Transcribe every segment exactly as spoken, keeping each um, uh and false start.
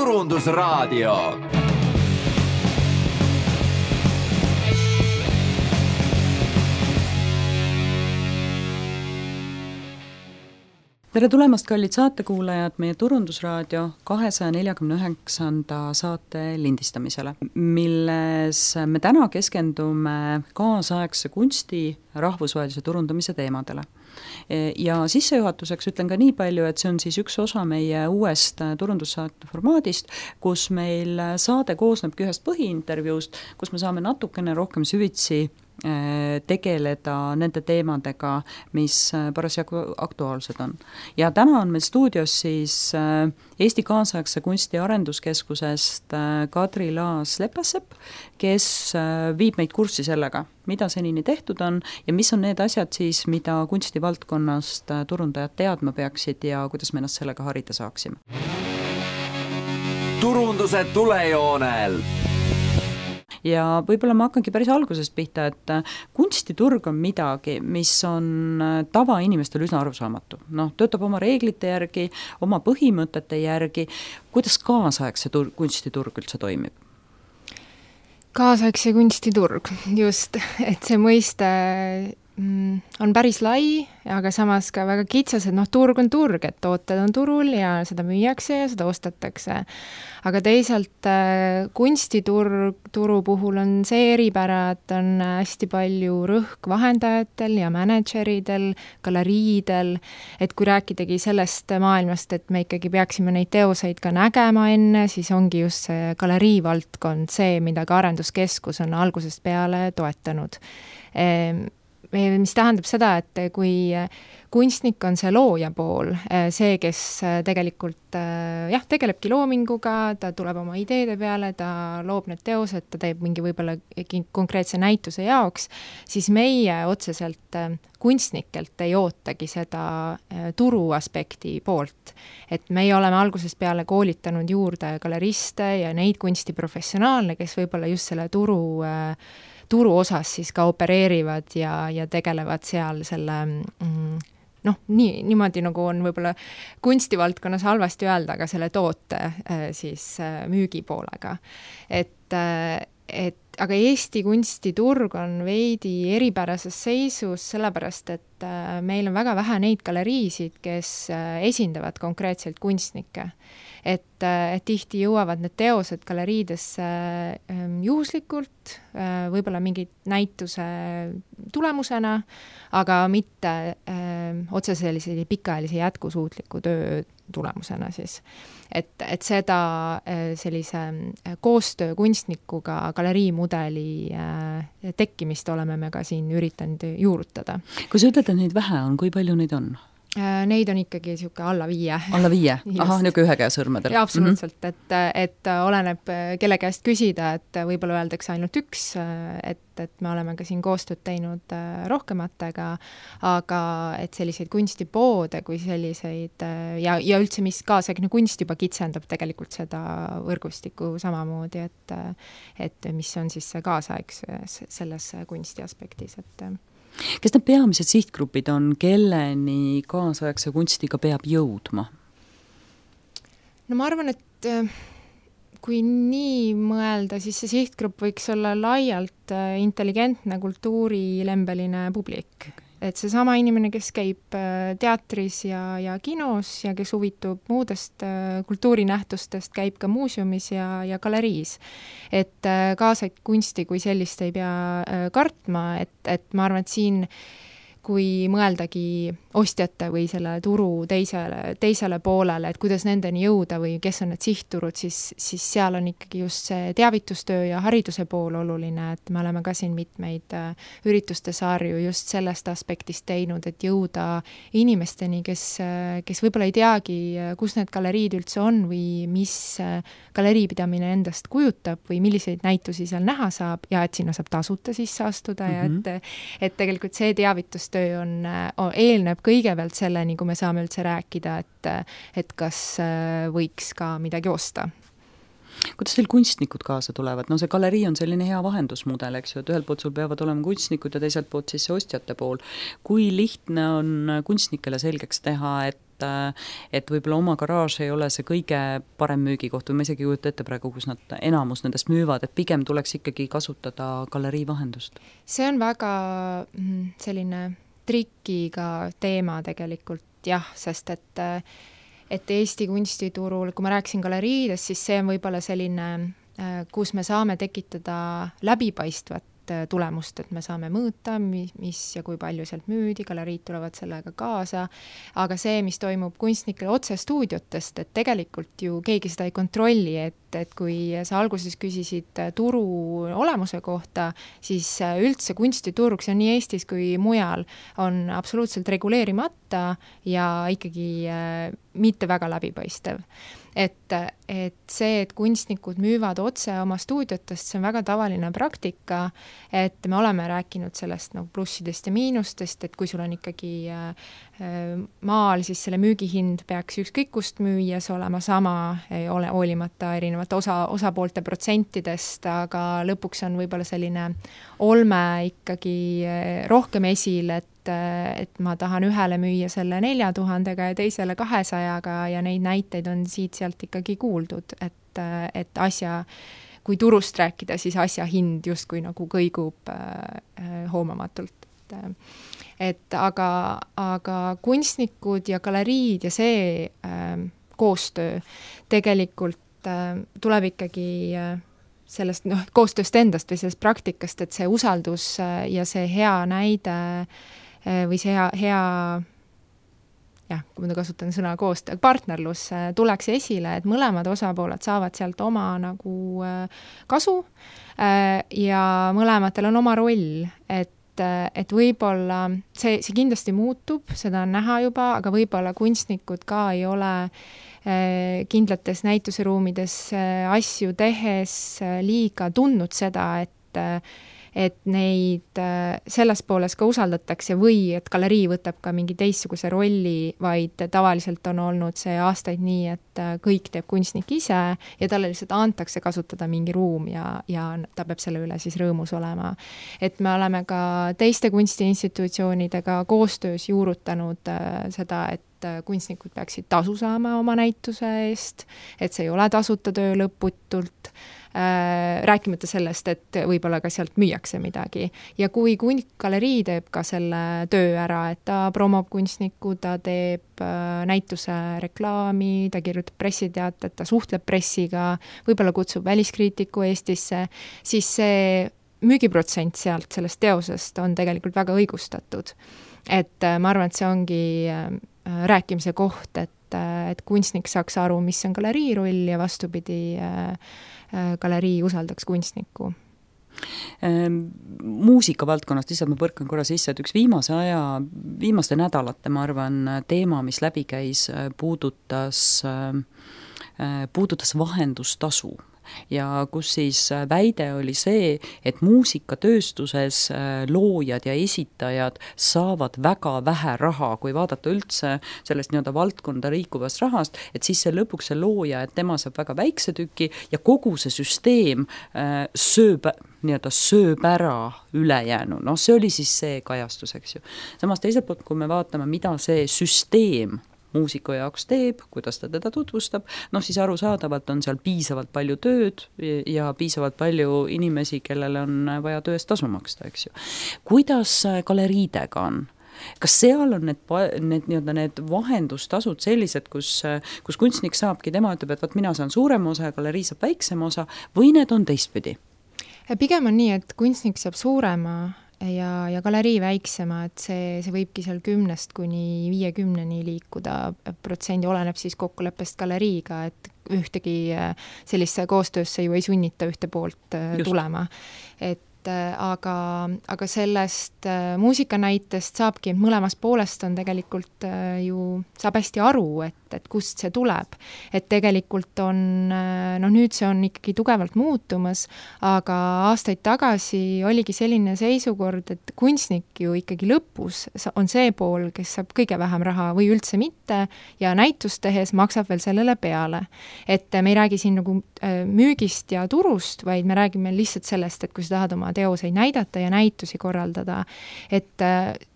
Turundusraadio. Tere tulemast, kallid saatekuulajad, meie Turundusraadio kahesaja neljakümne üheksanda saate lindistamisele, milles me täna keskendume kaasaegse kunsti rahvusvahelise turundamise teemadele. Ja sissejuhatuseks ütlen ka nii palju, et see on siis üks osa meie uuest turundussaate formaadist, kus meil saade koosnebki ühest põhiintervjuust, kus me saame natukene rohkem süvitsi tegeleda nende teemadega, mis parasjagu aktuaalsed on. Ja täna on meil stuudios siis Eesti Kaasaegse Kunsti Arenduskeskusest Kadri Laas-Lepassepp, kes viib meid kurssi sellega, mida senini tehtud on ja mis on need asjad siis, mida kunstivaldkonnast turundajad teadma peaksid ja kuidas me ennast sellega harida saaksime. Turunduse tulejoonel. Ja võib-olla ma hakkangi päris algusest pihta, et kunstiturg on midagi, mis on tavainimestel üsna arusaamatu. Noh, töötab oma reeglite järgi, oma põhimõtete järgi. Kuidas kaasaegse tur- kunstiturg üldse toimib? Kaasaegse kunstiturg, just, et see mõiste mm, on päris lai, aga samas ka väga kitsas, et noh, turg on turg, et tooted on turul ja seda müüakse ja seda ostetakse. Aga teisalt kunstiturg turu puhul on see eripära, et on hästi palju rõhk vahendajatel ja manageridel, galeriidel, et kui rääkidagi sellest maailmast, et me ikkagi peaksime neid teoseid ka nägema enne, siis ongi just see galerii valdkond see, mida ka Arenduskeskus on algusest peale toetanud. Mis tähendab seda, et kui kunstnik on see looja pool, see, kes tegelikult jah, tegelebki loominguga, ta tuleb oma ideede peale, ta loob need teosed, ta teeb mingi võib-olla konkreetse näituse jaoks, siis meie otseselt kunstnikelt ei ootagi seda turu aspekti poolt. Et meie oleme algusest peale koolitanud juurde galeriste ja neid kunstiprofessionaale, kes võib-olla just selle turu turu osas siis ka opereerivad ja, ja tegelevad seal selle, noh, nii, niimoodi nagu on võib-olla kunstivaldkonnas halvasti öelda, aga selle toote siis müügi poolega. Et, et, aga Eesti kunstiturg on veidi eripärases seisus, sellepärast, et meil on väga vähe neid galeriisid, kes esindavad konkreetselt kunstnikke. Et, et tihti jõuavad need teosed galeriidesse juhuslikult, võib-olla mingi näituse tulemusena, aga mitte öö, otse sellise pikaajalise jätkusuutliku töö tulemusena siis. Et, et seda sellise koostöö kunstnikuga galeriimudeli tekkimist oleme me ka siin üritanud juurutada. Kui sa ütled, et neid vähe on, kui palju neid on? Neid on ikkagi siuke alla viie. Alla viie? Aha, niuke ühe käe sõrmedel. Ja absoluutselt, mm-hmm. et, et oleneb kelle käest küsida, et võib-olla öeldakse ainult üks, et, et me oleme ka siin koostööd teinud rohkematega, aga et selliseid kunstipoode kui selliseid ja, ja üldse mis kaasaegne kunst juba kitsendab tegelikult seda võrgustikku samamoodi, et, et mis on siis see kaasaegs selles kunsti aspektis, et kes need peamised sihtgrupid on, kelleni kaasaegse kunstiga peab jõudma? No ma arvan, et kui nii mõelda, siis see sihtgrupp võiks olla laialt intelligentne kultuurilembeline publik. Et see sama inimene, kes käib teatris ja, ja kinos ja kes huvitub muudest kultuurinähtustest, käib ka muuseumis ja, ja galeriis. Et kaasaegset kunsti kui sellist ei pea kartma, et, et ma arvan, et siin kui mõeldagi ostjate või selle turu teisele, teisele poolele, et kuidas nendeni jõuda või kes on need sihtturud, siis, siis seal on ikkagi just see teavitustöö ja hariduse pool oluline, et me oleme ka siin mitmeid ürituste sarju just sellest aspektist teinud, et jõuda inimesteni, kes, kes võib-olla ei teagi, kus need galeriid üldse on või mis galeriipidamine endast kujutab või milliseid näitusi seal näha saab ja et sinna saab tasuta sisse astuda mm-hmm. ja et, et tegelikult see teavitus töö on, on, eelneb kõigepealt selleni, kui me saame üldse rääkida, et, et kas võiks ka midagi osta. Kuidas teil kunstnikud kaasa tulevad? No see galerii on selline hea vahendusmudel, eks ju, et ühelt poolt sul peavad olema kunstnikud ja teiselt poolt siis see ostjate pool. Kui lihtne on kunstnikele selgeks teha, et et võib-olla oma garaaž ei ole see kõige parem müügikoht või ma isegi kujuta ette praegu, kus nad enamus nendest müüvad, et pigem tuleks ikkagi kasutada galerii vahendust? See on väga selline trikiga teema tegelikult, jah, sest et et Eesti kunstiturul, kui ma rääkisin galeriidest, siis see on võib-olla selline, kus me saame tekitada läbipaistvat tulemust, et me saame mõõta, mis ja kui palju sealt müüdi, galeriid tulevad sellega kaasa, aga see, mis toimub kunstnikele otse stuudiotest, et tegelikult ju keegi seda ei kontrolli, et, et kui sa alguses küsisid turu olemuse kohta, siis üldse kunstiturg, see on nii Eestis kui mujal, on absoluutselt reguleerimata ja ikkagi mitte väga läbipaistev. Et, et see, et kunstnikud müüvad otse oma stuudiotest, see on väga tavaline praktika, et me oleme rääkinud sellest nagu plussidest ja miinustest, et kui sul on ikkagi maal, siis selle müügihind peaks ükskõik kust müües olema sama, ei ole hoolimata erinevate osa, osapoolte protsentidest, aga lõpuks on võib-olla selline olme ikkagi rohkem esil, et et ma tahan ühele müüa selle nelja tuhandega ja teisele kahesajaga ja neid näiteid on siit-sealt ikkagi kuuldud, et, et asja, kui turust rääkida, siis asja hind justkui nagu kõigub äh, hoomamatult. Et aga, aga kunstnikud ja galeriid ja see äh, koostöö tegelikult äh, tuleb ikkagi äh, sellest noh, koostööst endast või sellest praktikast, et see usaldus äh, ja see hea näide või see hea, hea jah, kui ma kasutan sõna koostöö, partnerlus tuleks esile, et mõlemad osapooled saavad sealt oma nagu kasu ja mõlematel on oma roll, et et võib-olla see, see kindlasti muutub, seda on näha juba, aga võib-olla kunstnikud ka ei ole kindlates näituseruumides asju tehes liiga tundnud seda, et et neid selles pooles ka usaldatakse või et galerii võtab ka mingi teistsuguse rolli, vaid tavaliselt on olnud see aastaid nii, et kõik teeb kunstnik ise ja talle lihtsalt antakse kasutada mingi ruum ja, ja ta peab selle üle siis rõõmus olema. Et me oleme ka teiste kunstiinstitutsioonidega koostöös juurutanud seda, et kunstnikud peaksid tasu saama oma näituse eest, et see ei ole tasuta töö lõputult, äh, rääkimata sellest, et võib-olla ka sealt müüakse midagi. Ja kui galerii teeb ka selle töö ära, et ta promob kunstnikku, ta teeb äh, näituse reklaami, ta kirjutab pressiteatet, ta suhtleb pressiga, võib-olla kutsub väliskriitiku Eestisse, siis see müügiprotsent sealt sellest teosest on tegelikult väga õigustatud. Et äh, ma arvan, et see ongi äh, rääkimise koht, et, et kunstnik saaks aru, mis on galerii roll ja vastupidi, galerii usaldaks kunstnikku. Muusika valdkonnast, lihtsalt ma põrkan korra sisse, et üks viimase aja, viimaste nädalate, ma arvan, teema, mis läbi käis, puudutas, puudutas vahendustasu. Ja kus siis väide oli see, et muusikatööstuses loojad ja esitajad saavad väga vähe raha, kui vaadata üldse sellest nii-öelda valdkonda liikuvast rahast, et siis see lõpuks see looja, et tema saab väga väikse tüki ja kogu see süsteem sööb, nii-öelda sööb ära ülejäänu. No see oli siis see kajastus, eks ju. Samas teiselt poolt, kui me vaatame, mida see süsteem muusiku jaoks teeb, kuidas ta teda tutvustab, noh siis arusaadavalt on seal piisavalt palju tööd ja piisavalt palju inimesi, kellele on vaja tööst tasu maksta, eks ju. Kuidas galeriidega on? Kas seal on need, need, need, need vahendustasud sellised, kus, kus kunstnik saabki, tema ütleb, et võt, mina saan suurema osa ja galerii saab väiksema osa, või need on teistpidi? Pigem on nii, et kunstnik saab suurema ja, ja galerii väiksema, et see, see võibki seal kümnest kuni viiekümneni liikuda protsendi, oleneb siis kokkuleppest galeriiga, et ühtegi sellisse koostöösse ju ei sunnita ühte poolt Just. tulema. Et aga, aga sellest muusikanäitest saabki, mõlemast poolest on tegelikult ju, saab hästi aru, et, et kust see tuleb. Et tegelikult on, noh nüüd see on ikkagi tugevalt muutumas, aga aastaid tagasi oligi selline seisukord, et kunstnik ju ikkagi lõpus on see pool, kes saab kõige vähem raha või üldse mitte ja näitust tehes maksab veel sellele peale. Et me ei räägi siin nagu müügist ja turust, vaid me räägime lihtsalt sellest, et kui sa tahad oma teoseid näidata ja näitusi korraldada. Et,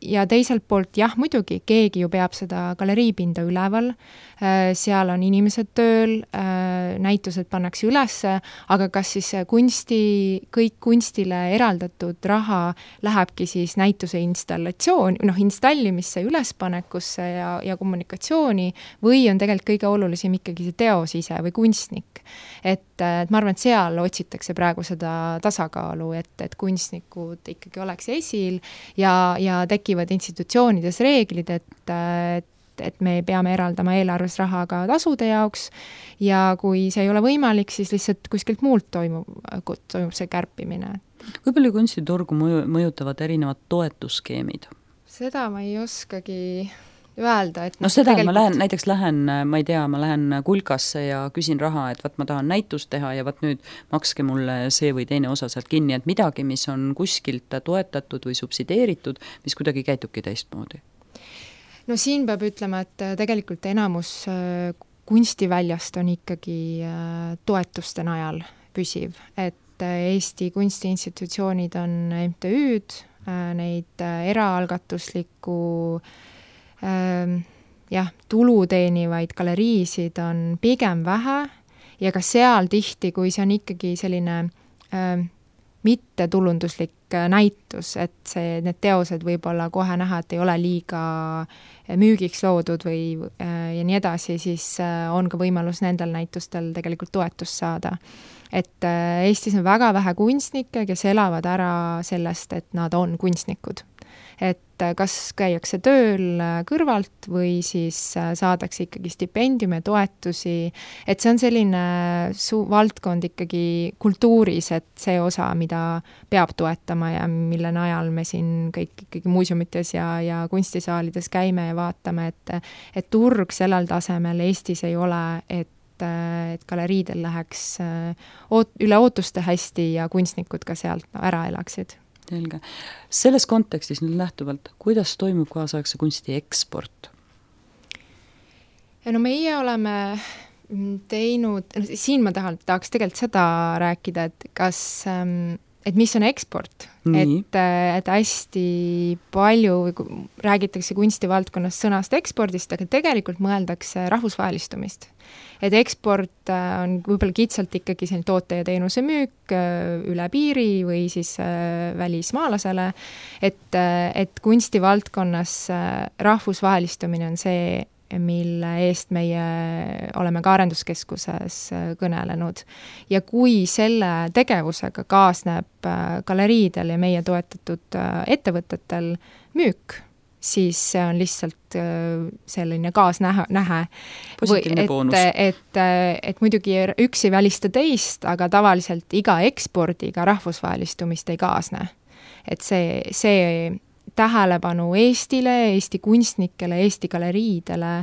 ja teiselt poolt, jah, muidugi, keegi ju peab seda galeriipinda üleval, seal on inimesed tööl, näitused pannakse ülesse, aga kas siis kunsti, kõik kunstile eraldatud raha lähebki siis näituse installatsioon, noh, installimisse, ülespanekusse ja, ja kommunikatsiooni või on tegelikult kõige olulisem ikkagi see teos ise või kunstnik. Et, et ma arvan, et seal otsitakse praegu seda tasakaalu, et, et kunstnikud ikkagi oleks esil ja, ja tekivad institutsioonides reeglid, et, et et me peame eraldama eelarves raha ka tasude jaoks ja kui see ei ole võimalik, siis lihtsalt kuskilt muult toimub, toimub see kärpimine. Kui palju kunstiturgu mõju, mõjutavad erinevad toetusskeemid? Seda ma ei oskagi öelda, et no seda, tegelikult... ma lähen, näiteks lähen, ma ei tea, ma lähen kulkasse ja küsin raha, et vaat ma tahan näitust teha ja vaat nüüd makske mulle see või teine osa sealt kinni, et midagi, mis on kuskilt toetatud või subsideeritud, mis kuidagi käitubki teistmoodi. No siin peab ütlema, et tegelikult enamus kunstiväljast on ikkagi toetuste najal püsiv, et Eesti kunstiinstitutsioonid on M T Ü-d, neid eraalgatuslikku jah, tulu teenivaid galeriisid on pigem vähe ja ka seal tihti, kui see on ikkagi selline mittetulunduslik näitus, et see, need teosed võib olla kohe näha, et ei ole liiga müügiks loodud või ja nii edasi, siis on ka võimalus nendel näitustel tegelikult toetust saada. Et Eestis on väga vähe kunstnikke, kes elavad ära sellest, et nad on kunstnikud. Et kas käiakse tööl kõrvalt või siis saadakse ikkagi stipendiume, toetusi, et see on selline su- valdkond ikkagi kultuuris, et see osa, mida peab toetama ja mille najal me siin kõik ikkagi muuseumites ja, ja kunstisaalides käime ja vaatame, et, et turg sellel tasemel Eestis ei ole, et et galeriidel läheks oot, üle ootuste hästi ja kunstnikud ka sealt ära elaksid. Selge. Selles kontekstis nüüd lähtuvalt, kuidas toimub kaasaegse kunsti eksport? Ja no meie oleme teinud, siin ma tahan, tahaks tegelikult seda rääkida, et kas, et mis on eksport, et, et hästi palju räägitakse kunstivaldkonnas sõnast ekspordist, aga tegelikult mõeldakse rahvusvahelistumist. Et eksport on võib-olla kitsalt ikkagi selline toote ja teenuse müük üle piiri või siis välismaalasele, et, et kunstivaldkonnas rahvusvahelistumine on see, mille eest meie oleme ka arenduskeskuses kõnelenud. Ja kui selle tegevusega kaasneb galeriidel ja meie toetatud ettevõtetel müük, siis see on lihtsalt selline kaasnähe. Positiivne boonus. Et, et, et muidugi üks ei välista teist, aga tavaliselt iga ekspordiga rahvusvahelistumist ei kaasne. Et see, see tähelepanu Eestile, Eesti kunstnikele, Eesti galeriidele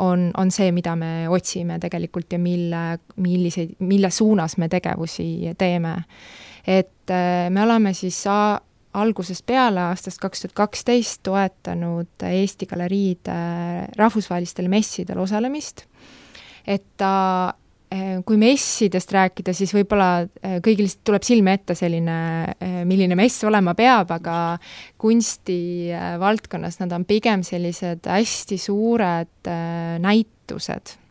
on, on see, mida me otsime tegelikult ja mille, millise, mille suunas me tegevusi teeme. Et me oleme siis a- algusest peale aastast kaks tuhat kaksteist toetanud Eesti galeriide rahvusvahelistel messidel osalemist. Et ta, kui messidest rääkida, siis võib-olla kõigil tuleb silme ette selline, milline mess olema peab, aga kunsti valdkonnas nad on pigem sellised hästi suured näitused.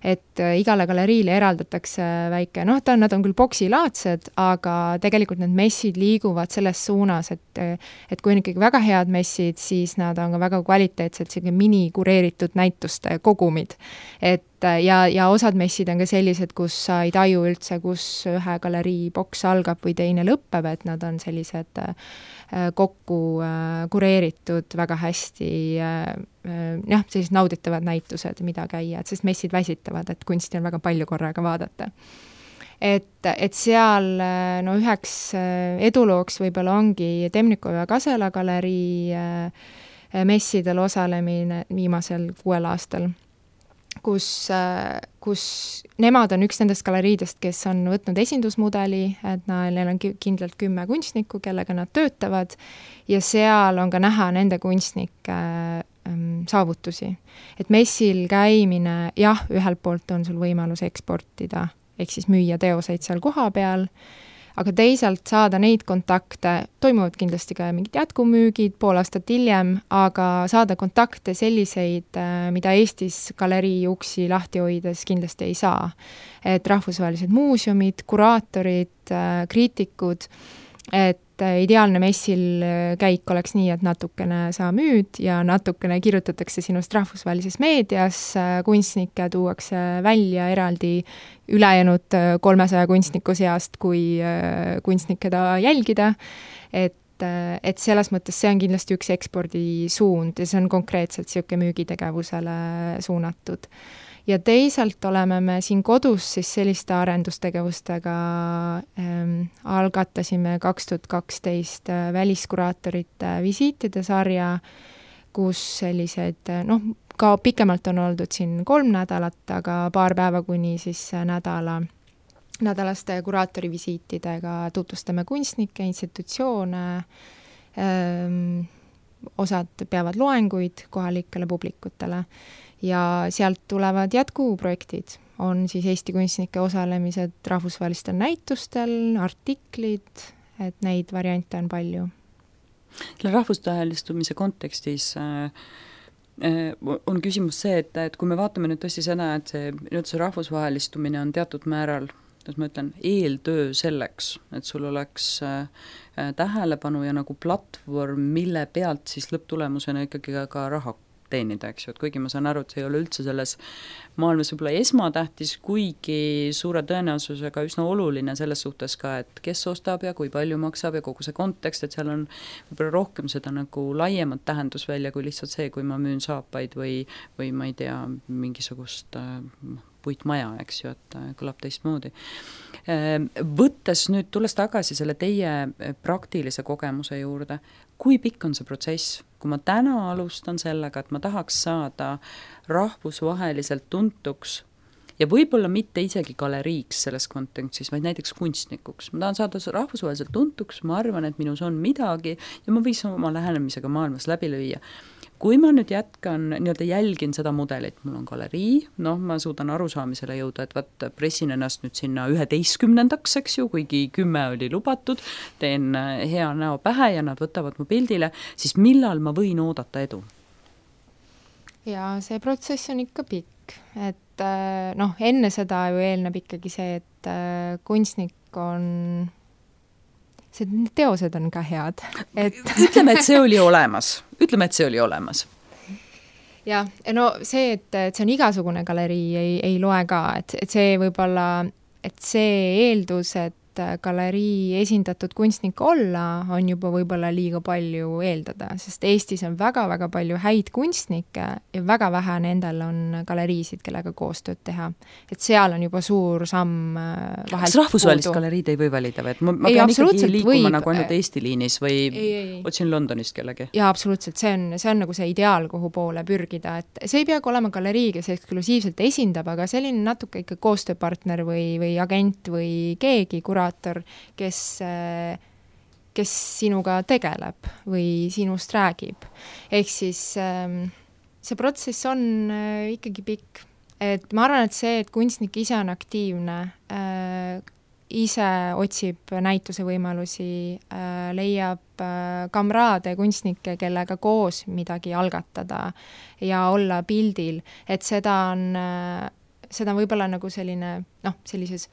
Et igale galeriile eraldatakse väike, noh, ta, nad on küll boksilaadsed, aga tegelikult need messid liiguvad selles suunas, et, et kui on ikkagi väga head messid, siis nad on ka väga kvaliteetsed, selline mini-kureeritud näituste kogumid. Et ja, ja osad messid on ka sellised, kus sa ei taju üldse, kus ühe galerii boks algab või teine lõppeb, et nad on sellised kokku kureeritud väga hästi, jah, sellised nauditavad näitused, mida käia, et sest messid väsitavad, et kunsti on väga palju korraga vaadata. et, et seal no üheks edulooks võib-olla ongi Temnikov ja Kasela galerii messidel osalemine viimasel kuuel aastal, kus, kus nemad on üks nendest galeriidest, kes on võtnud esindusmudeli, et neil on kindlalt kümme kunstnikku, kellega nad töötavad, ja seal on ka näha nende kunstnike ähm, saavutusi. Et messil käimine, jah, ühelt poolt on sul võimalus eksportida, ehk siis müüa teoseid seal koha peal, aga teisalt saada neid kontakte, toimuvad kindlasti ka mingid jätkumüügid pool aastat hiljem, aga saada kontakte selliseid, mida Eestis galerii uksi lahti hoides kindlasti ei saa. Et rahvusvahelised muuseumid, kuraatorid, kriitikud, et ideaalne messil käik oleks nii, et natukene sa müüd ja natukene kirjutatakse sinust rahvusvahelises meedias, kunstnikke tuuakse välja eraldi ülejäänud kolmesaja kunstniku seast, kui kunstnik keda jälgida, et, et selles mõttes see on kindlasti üks ekspordisuund ja see on konkreetselt siuke müügitegevusele suunatud. Ja teisalt oleme me siin kodus siis selliste arendustegevustega ähm, algatasime kaks tuhat kaksteist väliskuraatorite visiitide sarja, kus sellised, noh, ka pikemalt on oldud siin kolm nädalat, aga paar päeva kuni siis nädala, nädalaste kuraatorivisiitidega tutvustame kunstnikke, institutsioone, ähm, osad peavad loenguid kohalikele publikutele. Ja sealt tulevad jätkuprojektid, on siis Eesti kunstnike osalemised rahvusvahelistel näitustel, artiklid, et neid variante on palju. Selle rahvusvahelistumise kontekstis äh, on küsimus see, et, et kui me vaatame nüüd tõesti seda, et see, nüüd see rahvusvahelistumine on teatud määral, et ma ütlen, eeltöö selleks, et sul oleks äh, tähelepanu ja nagu platvorm, mille pealt siis lõpptulemusena ikkagi ka, ka raha teenida, eks ju, et kuigi ma saan aru, et see ei ole üldse selles maailmas võib-olla esmatähtis, kuigi suure tõenäosusega üsna oluline selles suhtes ka, et kes ostab ja kui palju maksab ja kogu see kontekst, et seal on võib-olla rohkem seda nagu laiemat tähendusvälja kui lihtsalt see, kui ma müün saapaid või, või ma ei tea, mingisugust äh, puitmaja, eks ju, et kõlab teistmoodi. Võttes nüüd, tulles tagasi selle teie praktilise kogemuse juurde, kui pikk on see protsess? Kui ma täna alustan sellega, et ma tahaks saada rahvusvaheliselt tuntuks ja võib-olla mitte isegi galeriiks selles kontekstis, vaid näiteks kunstnikuks. Ma tahan saada rahvusvaheliselt tuntuks, ma arvan, et minus on midagi ja ma võis oma lähenemisega maailmas läbi lüüa. Kui ma nüüd jätkan, nii-öelda jälgin seda mudelit, mul on galerii, noh, ma suudan arusaamisele jõuda, et vaat pressin ennast nüüd sinna üheteistkümnendaks, eks ju, kuigi kümme oli lubatud, teen hea näo pähe ja nad võtavad mu pildile, siis millal ma võin oodata edu? Ja see protsess on ikka pikk, et noh, enne seda ju eelneb ikkagi see, et kunstnik on, see teosed on ka head. Et ütleme, et see oli olemas. Ütleme, et see oli olemas. Ja, no see, et, et see on igasugune galerii, ei, ei loe ka, et, et see võib-olla, et see eeldus, et galerii esindatud kunstnik olla, on juba võib-olla liiga palju eeldada, sest Eestis on väga-väga palju häid kunstnikke ja väga vähe nendel on galeriisid, kellega koostööd teha. Et seal on juba suur samm vahelt Kas rahvusvahelist puudu. Galeriid ei või valida või? Et ma, ma ei, pean ikkagi liikuma võib. Nagu ainult Eesti liinis või ei, ei, otsin Londonist kellegi? Jaa, absoluutselt. See on, see on nagu see ideaal, kuhu poole pürgida. Et see ei peagi olema galerii, kes eksklusiivselt esindab, aga selline natuke ikka koostööpartner või, või agent või keegi, kuraator, kes, kes sinuga tegeleb või sinust räägib. Ehk siis see protsess on ikkagi pikk. Et ma arvan, et see, et kunstnik ise on aktiivne, ise otsib näituse võimalusi, leiab kamraade, kunstnikke, kellega koos midagi algatada ja olla pildil, et seda on, seda on võib-olla nagu selline, noh, sellises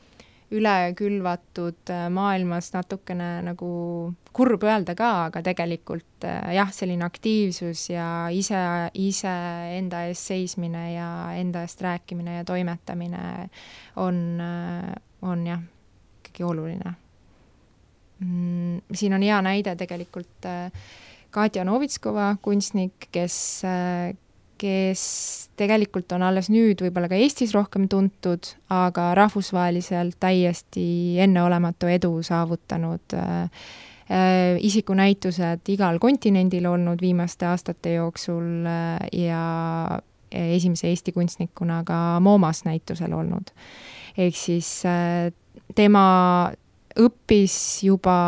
üle külvatud maailmas natukene nagu kurb öelda ka, aga tegelikult jah, selline aktiivsus ja ise, ise enda eest seismine ja enda eest rääkimine ja toimetamine on, on jah, ikkagi oluline. Siin on hea näide tegelikult Katja Novitskova kunstnik, kes kes tegelikult on alles nüüd võib-olla ka Eestis rohkem tuntud, aga rahvusvaheliselt täiesti enneolematu edu saavutanud äh, äh, isikunäitused igal kontinendil olnud viimaste aastate jooksul äh, ja esimese Eesti kunstnikuna ka MoMAs näitusel olnud. Ehk siis äh, tema õppis juba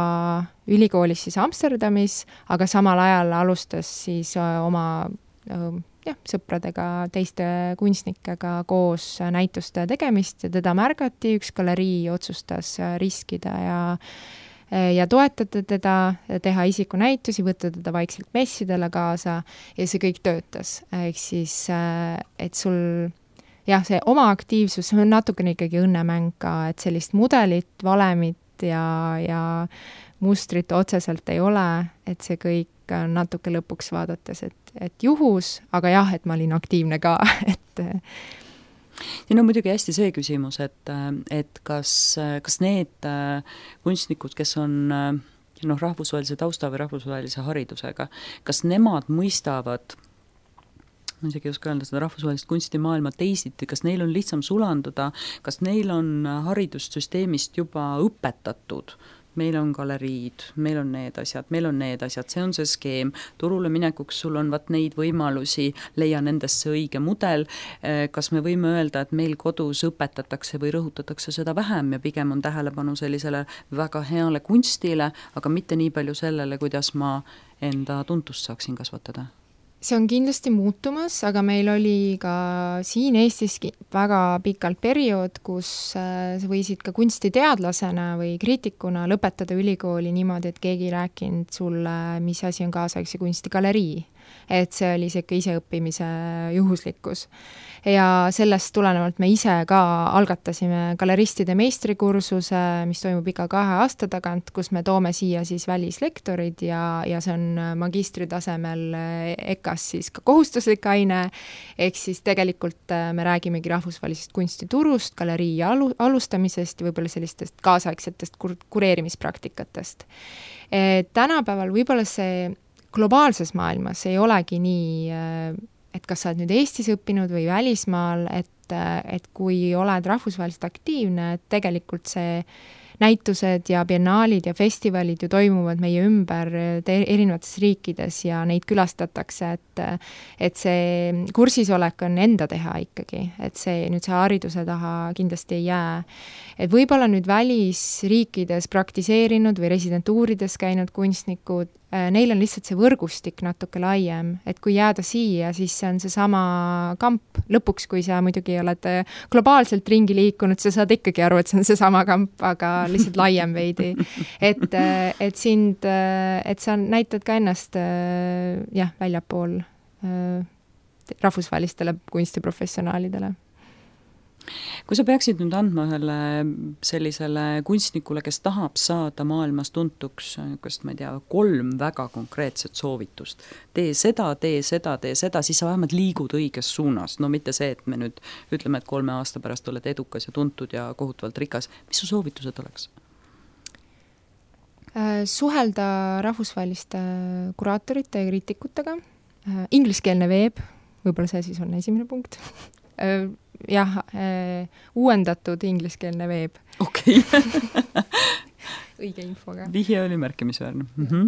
ülikoolis siis Amsterdamis, aga samal ajal alustas siis oma jah, sõpradega, teiste kunstnikega koos näituste tegemist ja teda märgati, üks galerii otsustas riskida ja ja toetada teda, teha isikunäitusi, võtta teda vaikselt messidele kaasa ja see kõik töötas. Ehk siis, et sul jah, see oma aktiivsus on natukene ikkagi õnnemäng ka, et sellist mudelit, valemit ja, ja mustrit otseselt ei ole, et see kõik natuke lõpuks vaadates, et, et juhus, aga jah, et ma olin aktiivne ka, et siin on muidugi hästi see küsimus, et, et kas, kas need kunstnikud, kes on noh, rahvusvahelise tausta või rahvusvahelise haridusega, kas nemad mõistavad, ma isegi ei oska öelda seda rahvusvahelist kunstimaailma teisiti, kas neil on lihtsam sulanduda, kas neil on haridussüsteemist juba õpetatud, meil on galeriid, meil on need asjad, meil on need asjad, see on see skeem, turule minekuks sul on vat neid võimalusi, leia nendesse õige mudel, kas me võime öelda, et meil kodus õpetatakse või rõhutatakse seda vähem ja pigem on tähelepanu sellisele väga heale kunstile, aga mitte nii palju sellele, kuidas ma enda tuntust saaksin kasvatada? See on kindlasti muutumas, aga meil oli ka siin Eestis väga pikalt periood, kus sa võisid ka kunstiteadlasena või kriitikuna lõpetada ülikooli niimoodi, et keegi ei rääkinud sulle, mis asi on kaasaegse kunstigalerii. Et see oli siuke iseõppimise juhuslikkus. Ja sellest tulenevalt me ise ka algatasime galeristide meistrikursuse, mis toimub iga kahe aasta tagant, kus me toome siia siis välislektorid ja, ja see on magistritasemel E K A-s siis ka kohustuslik aine, ehk siis tegelikult me räägimegi rahvusvahelisest kunstiturust, galerii alu, alustamisest ja võib-olla sellistest kaasaegsetest kur- kureerimispraktikatest. E, tänapäeval võib-olla see globaalses maailmas ei olegi nii, et kas sa oled nüüd Eestis õppinud või välismaal, et, et kui oled rahvusvaheliselt aktiivne, et tegelikult see näitused ja biennaalid ja festivalid ju toimuvad meie ümber erinevates riikides ja neid külastatakse, et, et see kursisolek on enda teha ikkagi, et see nüüd see hariduse taha kindlasti ei jää. Et võib-olla nüüd välisriikides praktiseerinud või residentuurides käinud kunstnikud, neil on lihtsalt see võrgustik natuke laiem, et kui jääda siia, siis see on see sama kamp. Lõpuks, kui sa muidugi oled globaalselt ringi liikunud, sa saad ikkagi aru, et see on see sama kamp, aga lihtsalt laiem veidi. Et, et sind, et sa näitad ka ennast jah, väljapool rahvusvahelistele kunstiprofessionaalidele. Kui sa peaksid nüüd andma ühele sellisele kunstnikule, kes tahab saada maailmas tuntuks, kas ma ei tea, kolm väga konkreetset soovitust, tee seda, tee seda, tee seda, siis sa vähemalt liigud õiges suunas. No mitte see, et me nüüd ütleme, et kolme aasta pärast oled edukas ja tuntud ja kohutavalt rikas. Mis su soovitused oleks? Suhelda rahvusvaheliste kuraatorite ja kriitikutega. Ingliskeelne veeb, võib-olla see siis on esimene punkt. Jah, äh, uuendatud ingliskeelne veeb. Okei. Õige infoga. Vihje oli märkimisväärne. Mm-hmm.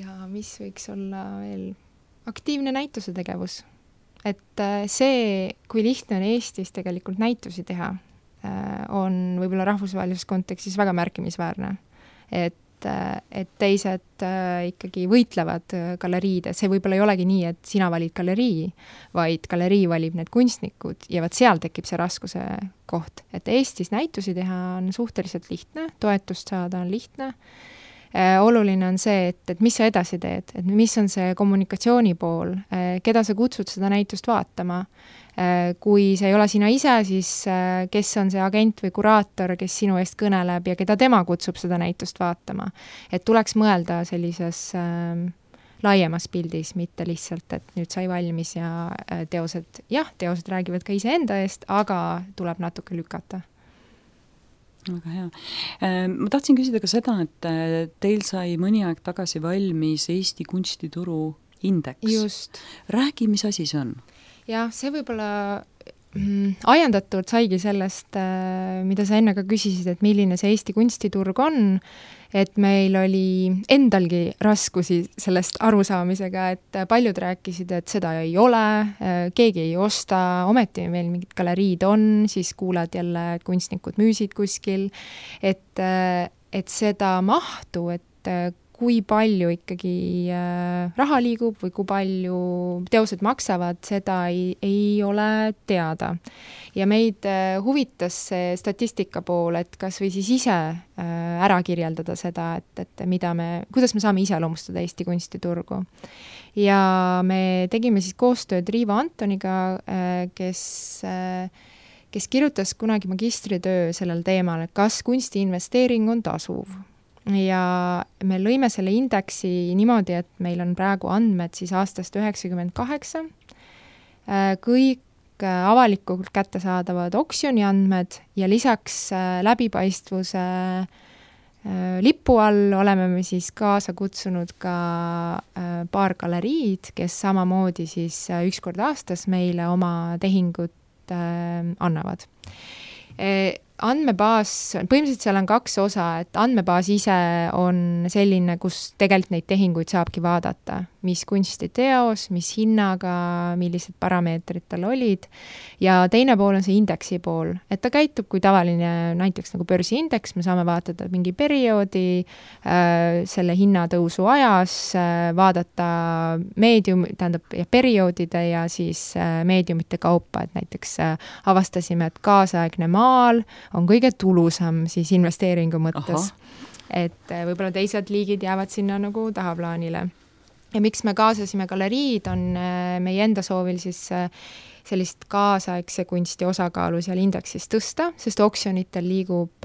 Ja mis võiks olla veel? Aktiivne näituse tegevus. Et äh, see, kui lihtne on Eestis tegelikult näitusi teha, äh, on võib-olla rahvusvahelises kontekstis väga märkimisväärne. Et et teised ikkagi võitlevad galeriide. See võib-olla ei olegi nii, et sina valid galerii, vaid galerii valib need kunstnikud ja vaat seal tekib see raskuse koht. Et Eestis näitusi teha on suhteliselt lihtne, toetust saada on lihtne. Oluline on see, et, et mis sa edasi teed, et mis on see kommunikatsiooni pool, keda sa kutsud seda näitust vaatama. Kui see ei ole sina ise, siis kes on see agent või kuraator, kes sinu eest kõneleb ja keda tema kutsub seda näitust vaatama. Et tuleks mõelda sellises äh, laiemas pildis, mitte lihtsalt, et nüüd sai valmis ja teosed, jah, teosed räägivad ka ise enda eest, aga tuleb natuke lükata. Väga hea. Ma tahtsin küsida ka seda, et teil sai mõni aeg tagasi valmis Eesti kunstituru indeks. Just. Räägi, mis asi see on? Jah, see võib-olla mm, ajendatud saigi sellest, mida sa enne ka küsisid, et milline see Eesti kunstiturg on, et meil oli endalgi raskusi sellest arusaamisega, et paljud rääkisid, et seda ei ole, keegi ei osta, ometi meil mingid galeriid on, siis kuulad jälle, et kunstnikud müüsid kuskil, et, et seda mahtu, et kui palju ikkagi raha liigub või kui palju teosed maksavad, seda ei, ei ole teada. Ja meid huvitas see statistika pool, et kas või siis ise ära kirjeldada seda, et, et mida me, kuidas me saame iseloomustada Eesti kunstiturgu. Ja me tegime siis koostööd Riivo Antoniga, kes, kes kirjutas kunagi magistritöö sellel teemal, et kas kunstiinvesteering on tasuv. Ja me lõime selle indeksi niimoodi, et meil on praegu andmed siis aastast üheksakümmend kaheksa. Kõik avalikult kättesaadavad oksjoni andmed ja lisaks läbipaistvuse lipu all oleme me siis kaasa kutsunud ka paar galeriid, kes samamoodi siis üks kord aastas meile oma tehingut annavad. Andmebaas, põhimõtteliselt seal on kaks osa, et andmebaas ise on selline, kus tegelikult neid tehinguid saabki vaadata, mis kunstiteos, mis hinnaga, millised parameetrid tal olid, ja teine pool on see indeksi pool, et ta käitub kui tavaline näiteks nagu börsiindeks, me saame vaatada mingi perioodi, äh, selle hinnatõusu ajas, äh, vaadata meedium, tähendab ja perioodide ja siis äh, meediumite kaupa, et näiteks äh, avastasime, et kaasaegne maal on kõige tulusam siis investeeringu mõttes. Aha. Et võib-olla teised liigid jäävad sinna nagu tahaplaanile. Ja miks me kaasasime galeriid, on meie enda soovil siis sellist kaasaegse kunsti osakaalu seal indeksis tõsta, sest oksjonitel liigub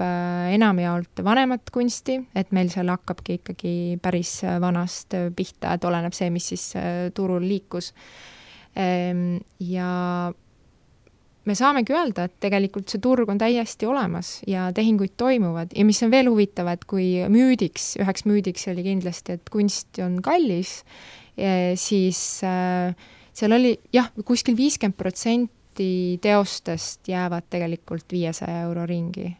enamjaolt vanemat kunsti, et meil seal hakkabki ikkagi päris vanast pihta, et oleneb see, mis siis turul liikus. Ja me saamegi öelda, et tegelikult see turg on täiesti olemas ja tehinguid toimuvad ja mis on veel huvitav, et kui müüdiks, üheks müüdiks oli kindlasti, et kunst on kallis, siis seal oli jah, kuskil viiskümmend protsenti teostest jäävad tegelikult viiesaja euro ringi.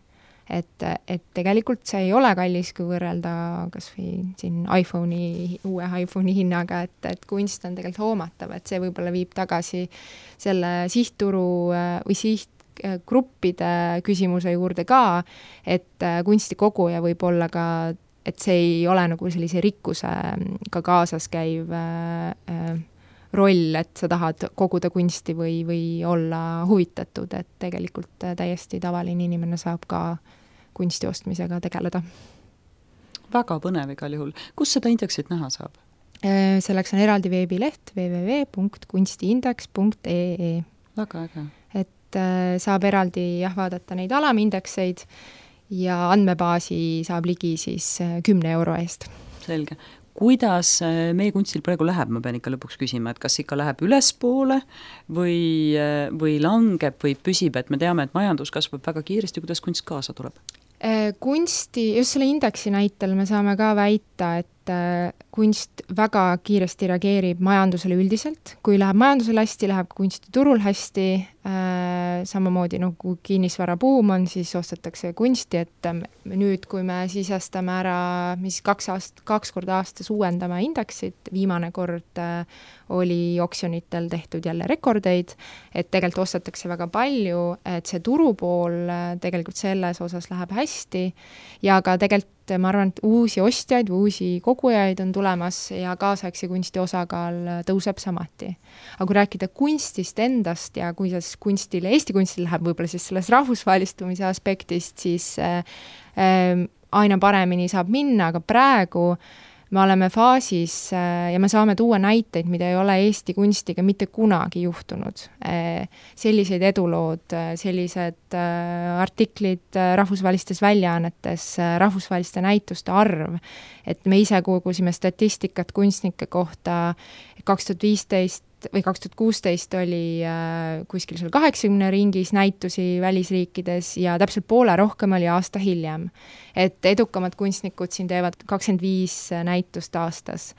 Et, et tegelikult see ei ole kallis, kui võrrelda kas või siin iPhone'i, uue iPhone'i hinnaga, et, et kunst on tegelikult hoomatav, et see võib-olla viib tagasi selle sihtturu või sihtgruppide küsimuse juurde ka, et kunstikoguja võib olla ka, et see ei ole nagu sellise rikkuse ka kaasas käiv äh, roll, et sa tahad koguda kunsti või, või olla huvitatud, et tegelikult täiesti tavaline inimene saab ka kunsti ostmisega tegeleda. Väga põnev igal juhul. Kus seda indeksit näha saab? Selleks on eraldi veebileht double-u double-u double-u punkt kunstiindeks punkt e e. Väga äge. Et saab eraldi jah, vaadata neid alamindekseid ja andmebaasi saab ligi siis kümne euro eest. Selge. Kuidas meie kunstil praegu läheb, ma pean ikka lõpuks küsima, et kas ikka läheb ülespoole või, või langeb või püsib, et me teame, et majandus kasvab väga kiiresti, kuidas kunst kaasa tuleb? Kunsti, just selle indeksi näitel me saame ka väita, et kunst väga kiiresti reageerib majandusele üldiselt. Kui läheb majandusele hästi, läheb kunstiturul hästi, samamoodi no, kui kinnisvara buum on, siis ostetakse kunsti, et nüüd, kui me sisestame ära, mis kaks, aast, kaks korda aastas uuendame indeksit, viimane kord oli oksjonitel tehtud jälle rekordeid, et tegelikult ostetakse väga palju, et see turupool tegelikult selles osas läheb hästi ja ka tegelikult ma arvan, et uusi ostjaid või uusi kogujaid on tulemas ja kaasaegse kunsti osakaal tõuseb samati. Aga kui rääkida kunstist endast ja kuidas kunstile, Eesti kunstile läheb võib-olla siis selles rahvusvahelistumise aspektist, siis äh, aina paremini saab minna, aga praegu me oleme faasis ja me saame tuua näiteid, mida ei ole Eesti kunstiga mitte kunagi juhtunud. Sellised edulood, sellised artiklid rahvusvahelistes väljaannetes, rahvusvaheliste näituste arv, et me ise kogusime statistikat kunstnike kohta kaks tuhat viisteist või kaks tuhat kuusteist oli äh, kuskil seal kaheksakümne ringis näitusi välisriikides ja täpselt poole rohkem oli aasta hiljem. Et edukamad kunstnikud siin teevad kakskümmend viis näitust aastas.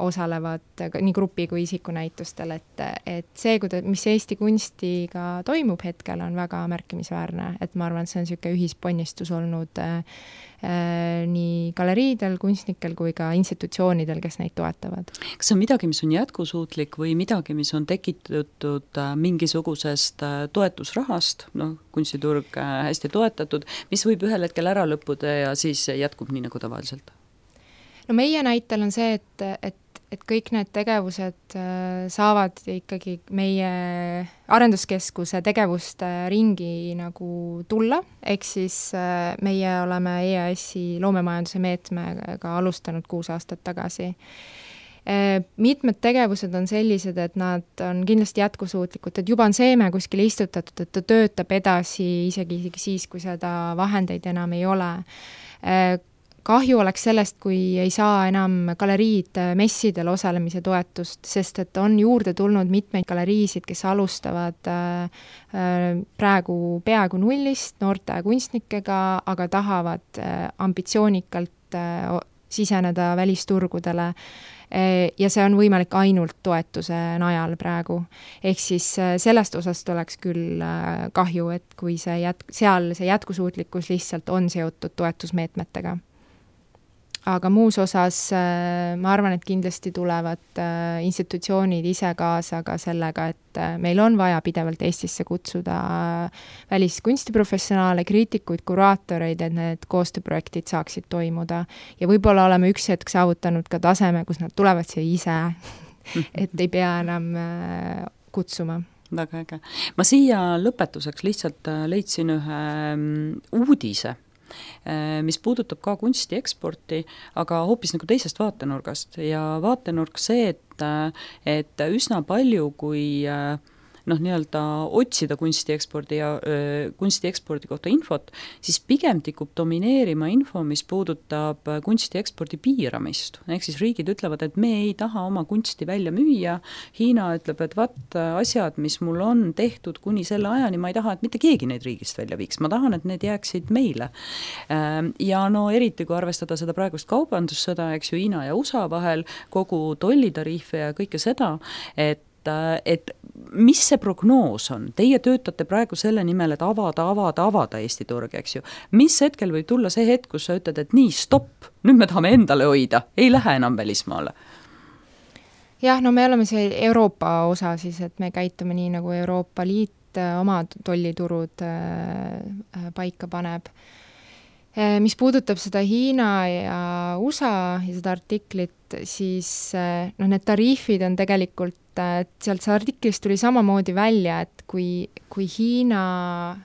osalevad nii grupi kui isikunäitustel, et, et see, kuida-, mis Eesti kunstiga toimub hetkel, on väga märkimisväärne, et ma arvan, et see on niisugune ühisponnistus olnud äh, nii galeriidel, kunstnikel kui ka institutsioonidel, kes neid toetavad. Kas see on midagi, mis on jätkusuutlik või midagi, mis on tekitatud mingisugusest toetusrahast, noh, kunstiturg hästi toetatud, mis võib ühel hetkel ära lõppuda ja siis jätkub nii nagu tavaliselt? No meie näitel on see, et, et, et kõik need tegevused saavad ikkagi meie arenduskeskuse tegevuste ringi nagu tulla, ehk siis meie oleme E A S-i loomemajanduse meetmega alustanud kuus aastat tagasi. Mitmed tegevused on sellised, et nad on kindlasti jätkusuutlikud, et juba on seeme kuskil istutatud, et ta töötab edasi isegi, isegi siis, kui seda vahendeid enam ei ole. Kahju oleks sellest, kui ei saa enam galeriid messidel osalemise toetust, sest et on juurde tulnud mitmeid galeriisid, kes alustavad praegu peaaegu nullist noorte kunstnikega, aga tahavad ambitsioonikalt siseneda välisturgudele ja see on võimalik ainult toetuse najal praegu. Ehk siis sellest osast oleks küll kahju, et kui see jät- seal see jätkusuutlikkus lihtsalt on seotud toetusmeetmetega. Aga muus osas ma arvan, et kindlasti tulevad institutsioonid ise kaasa ka sellega, et meil on vaja pidevalt Eestisse kutsuda väliskunstiprofessionaale, kriitikuid, kuraatoreid, et need koostööprojektid saaksid toimuda. Ja võib-olla oleme üks hetk saavutanud ka taseme, kus nad tulevad siia ise, et ei pea enam kutsuma. Väga äge. Ma siia lõpetuseks lihtsalt leidsin ühe uudise, mis puudutab ka kunsti eksporti, aga hoopis nagu teisest vaatenurgast ja vaatenurk see, et, et üsna palju, kui noh, nii-öelda otsida kunsti ekspordi ja öö, kunsti ekspordi kohta infot, siis pigem tikub domineerima info, mis puudutab kunsti ekspordi piiramist. Ehk siis riigid ütlevad, et me ei taha oma kunsti välja müüa. Hiina ütleb, et vat asjad, mis mul on tehtud kuni selle ajani, ma ei taha, et mitte keegi neid riigist välja viiks. Ma tahan, et need jääksid meile. Ja no eriti, kui arvestada seda praegust kaubandussõda, eks ju, Hiina ja U S A vahel, kogu tollitariife ja kõike seda, et et mis see prognoos on? Teie töötate praegu selle nimel, et avada, avada, avada Eesti turg, eks ju. Mis hetkel võib tulla see hetk, kus sa ütled, et nii, stopp, nüüd me tahame endale hoida, ei lähe enam välismaale? Jah, no me oleme see Euroopa osa siis, et me käitume nii, nagu Euroopa Liit oma tolliturud paika paneb. Mis puudutab seda Hiina ja U S A ja seda artiklit, siis no need tariifid on tegelikult, et sealt see artiklist tuli samamoodi välja, et kui, kui Hiina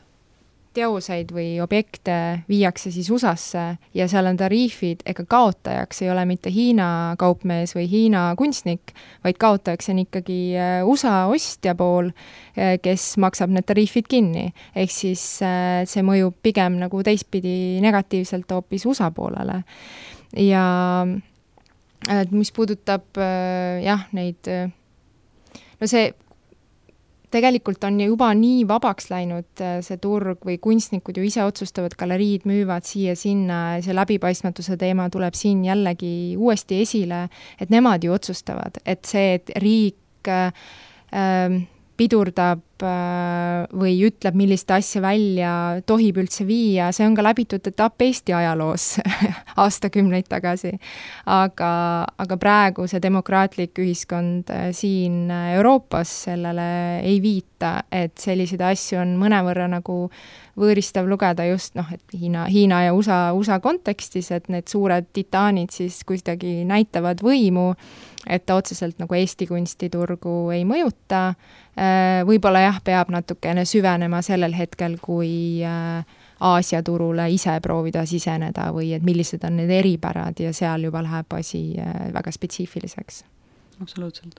teoseid või objekte viiakse siis U S A-sse ja seal on tariifid, ega kaotajaks ei ole mitte Hiina kaupmees või Hiina kunstnik, vaid kaotajaks on ikkagi U S A ostja pool, kes maksab need tariifid kinni. Ehk siis see mõjub pigem nagu teistpidi negatiivselt hoopis U S A poolele. Ja mis puudutab jah, neid, no see tegelikult on juba nii vabaks läinud see turg või kunstnikud ju ise otsustavad, galeriid müüvad siia-sinna, see läbipaistmatuse teema tuleb siin jällegi uuesti esile, et nemad ju otsustavad, et see, et riik äh, pidurdab äh, või ütleb, millist asja välja tohib üldse viia, see on ka läbitud etapp Eesti ajaloos aastakümneid tagasi. Aga, aga praegu see demokraatlik ühiskond äh, siin Euroopas sellele ei viita, et selliseid asju on mõnevõrra nagu võõristav lugeda just, noh, et Hiina, Hiina ja U S A, U S A kontekstis, et need suured titaanid siis kuidagi näitavad võimu, et ta otseselt nagu Eesti kunstiturgu ei mõjuta. Võib-olla jah, peab natukene süvenema sellel hetkel, kui Aasia turule ise proovida siseneda või et millised on need eripärad ja seal juba läheb asi väga spetsiifiliseks. Absoluutselt.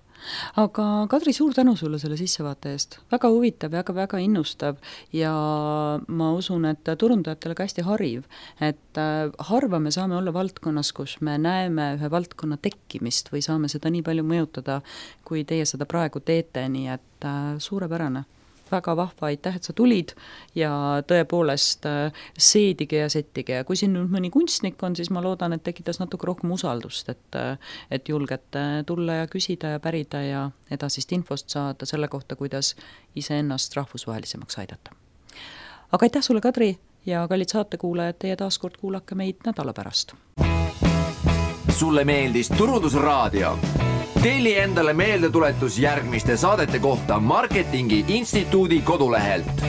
Aga Kadri, suur tänu sulle selle sissevaate eest. Väga huvitav ja väga innustav ja ma usun, et turundajatele ka hästi hariv, et harva me saame olla valdkonnas, kus me näeme ühe valdkonna tekkimist või saame seda nii palju mõjutada, kui teie seda praegu teete, nii et suurepärane. väga vahva, aitäh, et sa tulid ja tõepoolest seedige ja settige ja kui siin nüüd mõni kunstnik on, siis ma loodan, et tekitas natuke rohkem usaldust, et, et julgete tulla ja küsida ja pärida ja edasist infost saada selle kohta, kuidas iseennast rahvusvahelisemaks aidata. Aga aitäh sulle, Kadri, ja kallid saatekuulajad, teie taaskord kuulake meid nädala pärast. Sulle meeldis Turundusraadio? Telli endale meeldetuletus järgmiste saadete kohta Marketingi Instituudi kodulehelt.